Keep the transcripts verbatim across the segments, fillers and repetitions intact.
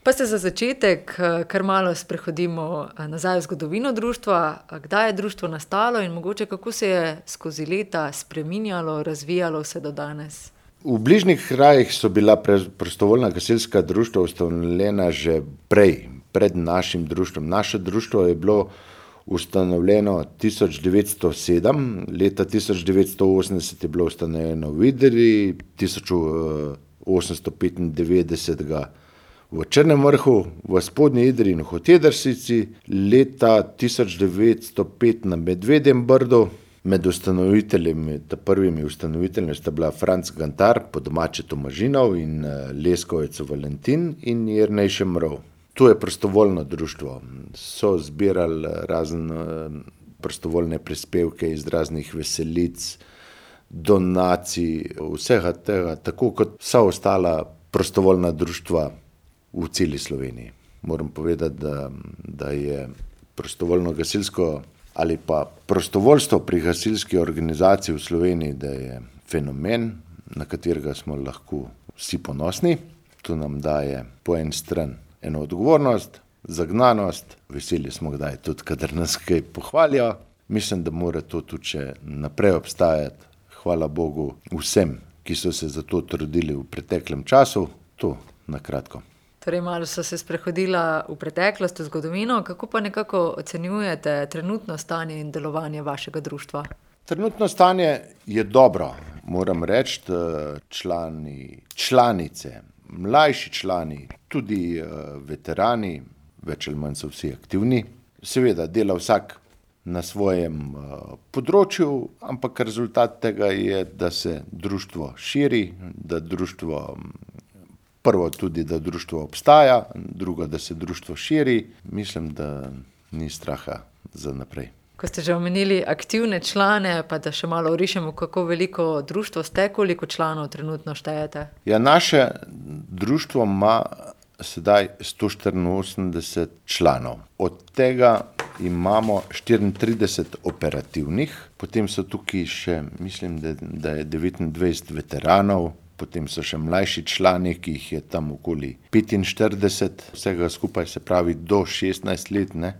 Pa se za začetek kar malo sprehodimo nazaj v zgodovino društva. Kdaj je društvo nastalo in mogoče kako se je skozi leta spreminjalo, razvijalo vse do danes? V bližnjih krajih so bila prostovoljna gasilska društva ustanovljena že prej, pred našim društvom. Naše društvo je bilo ustanovljeno tisoč devetsto sedem, leta tisoč devetsto osemdeset je bilo ustanovljeno v Idriji, tisoč osemsto petindevetdeset v Črnem Vrhu, v Spodnji Idriji in v Hotedrsici, leta tisoč devetsto pet na Medvedjem Brdu. Med ustanoviteljami, ta prvimi ustanoviteljami sta bila Franc Gantar, po domače Tomažinov, in Leskovec Valentin in Jernej Šemrov. To je prostovoljno društvo. So zbirali razne prostovoljne prispevke iz raznih veselic, donacij, vsega tega, tako kot vsa ostala prostovoljna društva v celi Sloveniji. Moram povedati, da, da je prostovoljno gasilsko ali pa prostovoljstvo pri gasilski organizaciji v Sloveniji, da je fenomen, na katerega smo lahko vsi ponosni. To nam daje po en stran eno odgovornost, zagnanost, veseli smo kdaj tudi, kadar nas kaj pohvalijo. Mislim, da mora to tudi še naprej obstajati. Hvala Bogu vsem, ki so se za to trudili v preteklem času. To na kratko. Torej, malo so se sprehodila v preteklost, v zgodovino. Kako pa nekako ocenjujete trenutno stanje in delovanje vašega društva? Trenutno stanje je dobro, moram reči. Člani, članice, mlajši člani, tudi veterani, več ali manj so vsi aktivni. Seveda dela vsak na svojem področju, ampak rezultat tega je, da se društvo širi, da društvo, prvo tudi, da društvo obstaja, drugo, da se društvo širi. Mislim, da ni straha za naprej. Ko ste že omenili aktivne člane, pa da še malo orišemo, kako veliko društvo ste, koliko članov trenutno štejete? Ja, naše društvo ima sedaj sto štiriinosemdeset članov. Od tega imamo štiriintrideset operativnih, potem so tukaj še, mislim, da, da je devetindvajset veteranov, potem so še mlajši člani, ki jih je tam okoli petinštirideset, vsega skupaj se pravi do šestnajst let, ne?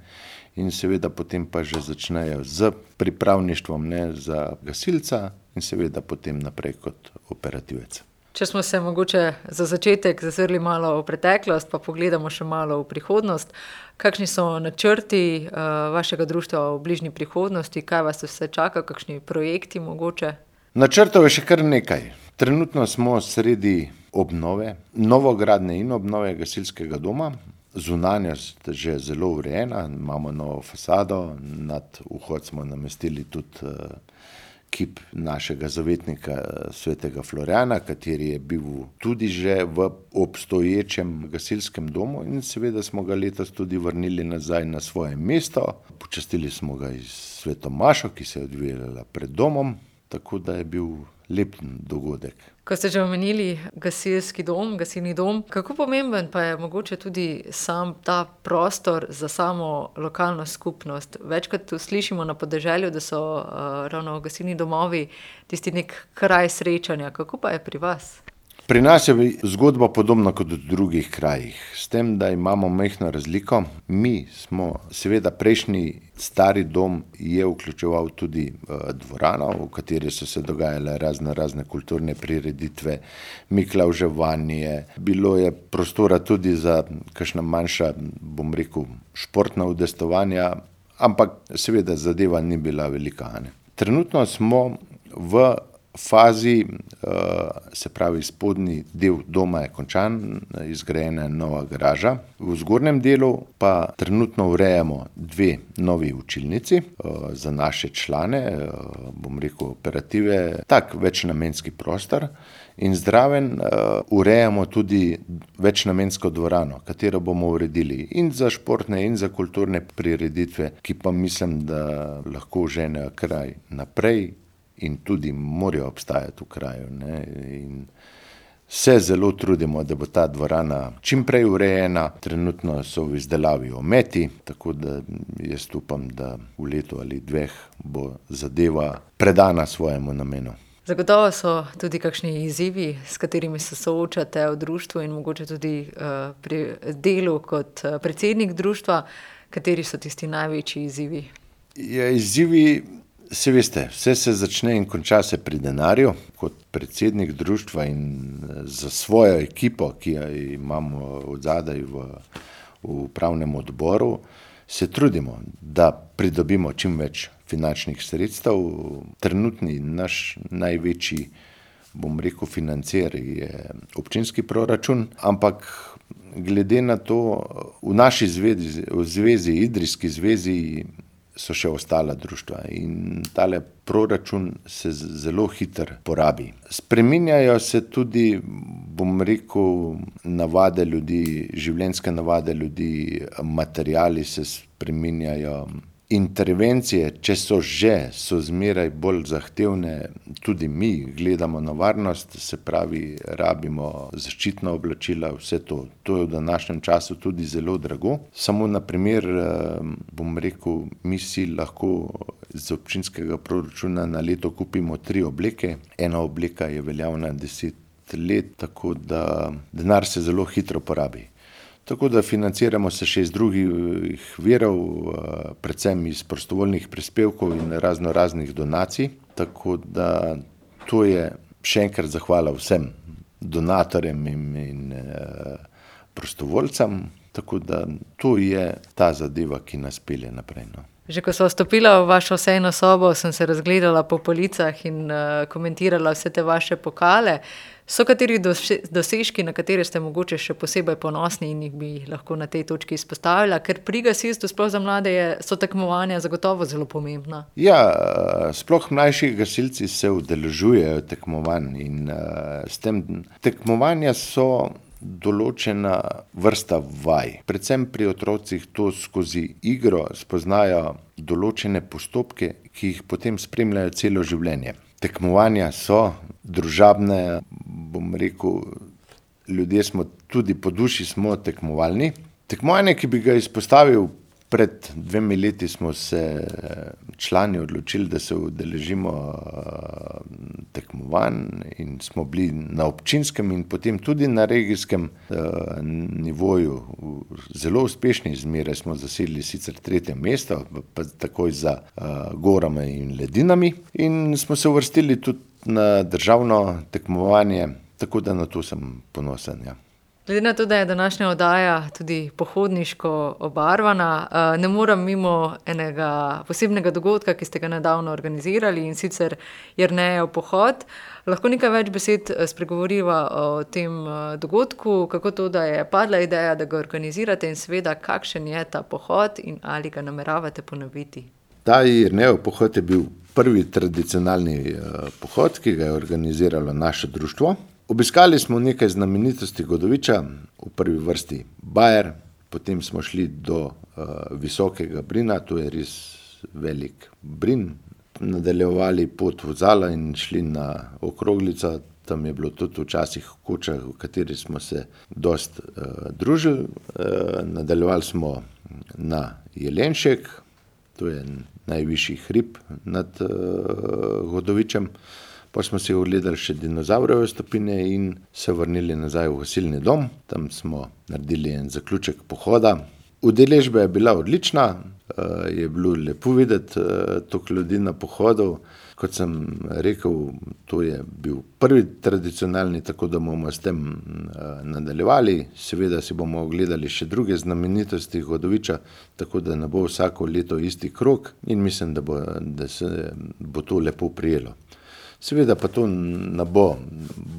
In seveda potem pa že začnejo z pripravništvom, ne, za gasilca in seveda potem naprej kot operativec. Če smo se mogoče za začetek zazrli malo v preteklost, pa pogledamo še malo v prihodnost. Kakšni so načrti uh, vašega društva v bližnji prihodnosti? Kaj vas vse čaka? Kakšni projekti mogoče? Načrtov je še kar nekaj. Trenutno smo sredi obnove, novogradnje in obnove gasilskega doma. Zunanjost že zelo urejena, imamo novo fasado, nad vhod smo namestili tudi uh, kip našega zavetnika svetega Florjana, kateri je bil tudi že v obstoječem gasilskem domu in seveda smo ga letos tudi vrnili nazaj na svoje mesto. Počastili smo ga iz Sveto Mašo, ki se je odvijala pred domom, tako da je bil lep dogodek. Ko ste že omenili gasilski dom, gasilni dom, kako pomemben pa je mogoče tudi sam ta prostor za samo lokalno skupnost? Večkrat slišimo na podeželju, da so uh, ravno gasilni domovi tisti nek kraj srečanja. Kako pa je pri vas? Pri nas je zgodba podobna kot v drugih krajih, s tem, da imamo majhno razliko. Mi smo, seveda prejšnji stari dom je vključeval tudi uh, dvorano, v kateri so se dogajale razne, razne kulturne prireditve, miklavževanje. Bilo je prostora tudi za kakšna manjša, bom rekel, športna udejstvovanja, ampak seveda zadeva ni bila velika. Ne? Trenutno smo v fazi, se pravi spodnji del doma je končan, izgrajena je nova garaža. V zgornjem delu pa trenutno urejamo dve novi učilnici za naše člane, bom rekel operative, tak večnamenski prostor in zraven urejamo tudi večnamensko dvorano, katero bomo uredili in za športne in za kulturne prireditve, ki pa mislim, da lahko ženejo kraj naprej in tudi morajo obstajati v kraju. Ne? In se zelo trudimo, da bo ta dvorana čim prej urejena. Trenutno so v izdelavi ometi, tako da jaz upam, da v letu ali dveh bo zadeva predana svojemu namenu. Zagotovo so tudi kakšni izzivi, s katerimi se soočate v društvu in mogoče tudi uh, pri delu kot uh, predsednik društva. Kateri so tisti največji izzivi? Ja, izzivi, se veste, vse se začne in konča se pri denarju. Kot predsednik društva in za svojo ekipo, ki jo imamo odzadaj v, v upravnem odboru, se trudimo, da pridobimo čim več finančnih sredstev. Trenutni naš največji, bom rekel, financer je občinski proračun, ampak glede na to, v naši zvezi, v zvezi, Idrijski zvezi, so še ostala društva in tale proračun se zelo hitro porabi. Spreminjajo se tudi, bom rekel, navade ljudi, življenjske navade ljudi, materiali se spreminjajo. Intervencije, če so že, so zmeraj bolj zahtevne, tudi mi gledamo na varnost, se pravi, rabimo zaščitna oblačila, vse to. To je v današnjem času tudi zelo drago. Samo na primer, bom rekel, mi si lahko z občinskega proračuna na leto kupimo tri obleke. Ena obleka je veljavna deset let, tako da denar se zelo hitro porabi. Tako da financiramo se še iz drugih virov, predvsem iz prostovoljnih prispevkov in razno raznih donacij. Tako da to je še enkrat zahvala vsem donatorjem in, in prostovoljcem. Tako da to je ta zadeva, ki nas pelje naprej. No. Že ko sva vstopila v vašo sejno sobo, sem se razgledala po policah in uh, komentirala vse te vaše pokale. So kateri dosežki, na katere ste mogoče še posebej ponosni in jih bi lahko na tej točki izpostavila? Ker pri gasilstvu, sploh za mlade, je, so tekmovanja zagotovo zelo pomembna. Ja, sploh mlajši gasilci se udeležujejo tekmovanj in uh, s tem tekmovanja so določena vrsta vaj. Predvsem pri otrocih to skozi igro spoznajo določene postopke, ki jih potem spremljajo celo življenje. Tekmovanja so družabne, bom rekel, ljudje smo tudi po duši smo tekmovalni. Tekmovanje, ki bi ga izpostavil, pred dvemi leti smo se člani odločili, da se udeležimo tekmovanj in smo bili na občinskem in potem tudi na regijskem nivoju zelo uspešni. Zmeraj smo zasedli sicer tretje mesto, pa takoj za gorami in ledinami in smo se uvrstili tudi na državno tekmovanje, tako da na to sem ponosen, ja. Glede na to, da je današnja oddaja tudi pohodniško obarvana, ne morem mimo enega posebnega dogodka, ki ste ga nedavno organizirali, in sicer Jernejev pohod. Lahko nekaj več besed spregovoriva o tem dogodku, kako to, da je padla ideja, da ga organizirate in seveda, kakšen je ta pohod in ali ga nameravate ponoviti? Ta Jernejev pohod je bil prvi tradicionalni pohod, ki ga je organiziralo naše društvo. Obiskali smo nekaj znamenitosti Godoviča, v prvi vrsti Bajer, potem smo šli do uh, Visokega Brina, to je res velik Brin, nadaljevali pot v Zala in šli na Okroglico, tam je bilo tudi včasih koča, v kateri smo se dost uh, družili, uh, nadaljevali smo na Jelenšek, to je najvišji hrib nad uh, Godovičem. Pa smo si ogledali še dinozavrove stopine in se vrnili nazaj v gasilni dom. Tam smo naredili en zaključek pohoda. Udeležba je bila odlična, je bilo lepo videti toliko ljudi na pohodu. Kot sem rekel, to je bil prvi tradicionalni, tako da bomo s tem nadaljevali. Seveda si bomo ogledali še druge znamenitosti Godoviča, tako da ne bo vsako leto isti krog in mislim, da bo, da se bo to lepo prijelo. Seveda pa to ne bo,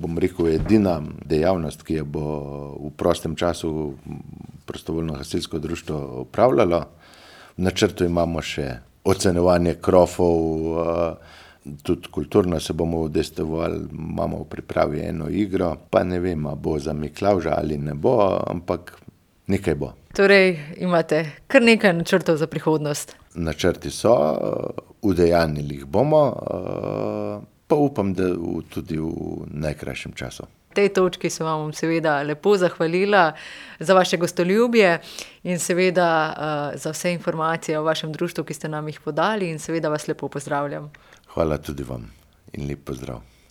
bom rekel, edina dejavnost, ki jo bo v prostem času prostovoljno gasilsko društvo upravljalo. V načrtu imamo še ocenjevanje krofov, tudi kulturno se bomo udejstvovali, imamo v pripravi eno igro, pa ne vem, bo za Miklavža ali ne bo, ampak nekaj bo. Torej imate kar nekaj načrtov za prihodnost? Načrti so, udejanjili jih bomo, pa upam, da v, tudi v najkrajšem času. V tej točki se vam seveda lepo zahvalila za vaše gostoljubje in seveda uh, za vse informacije o vašem društvu, ki ste nam jih podali in seveda vas lepo pozdravljam. Hvala tudi vam in lep pozdrav.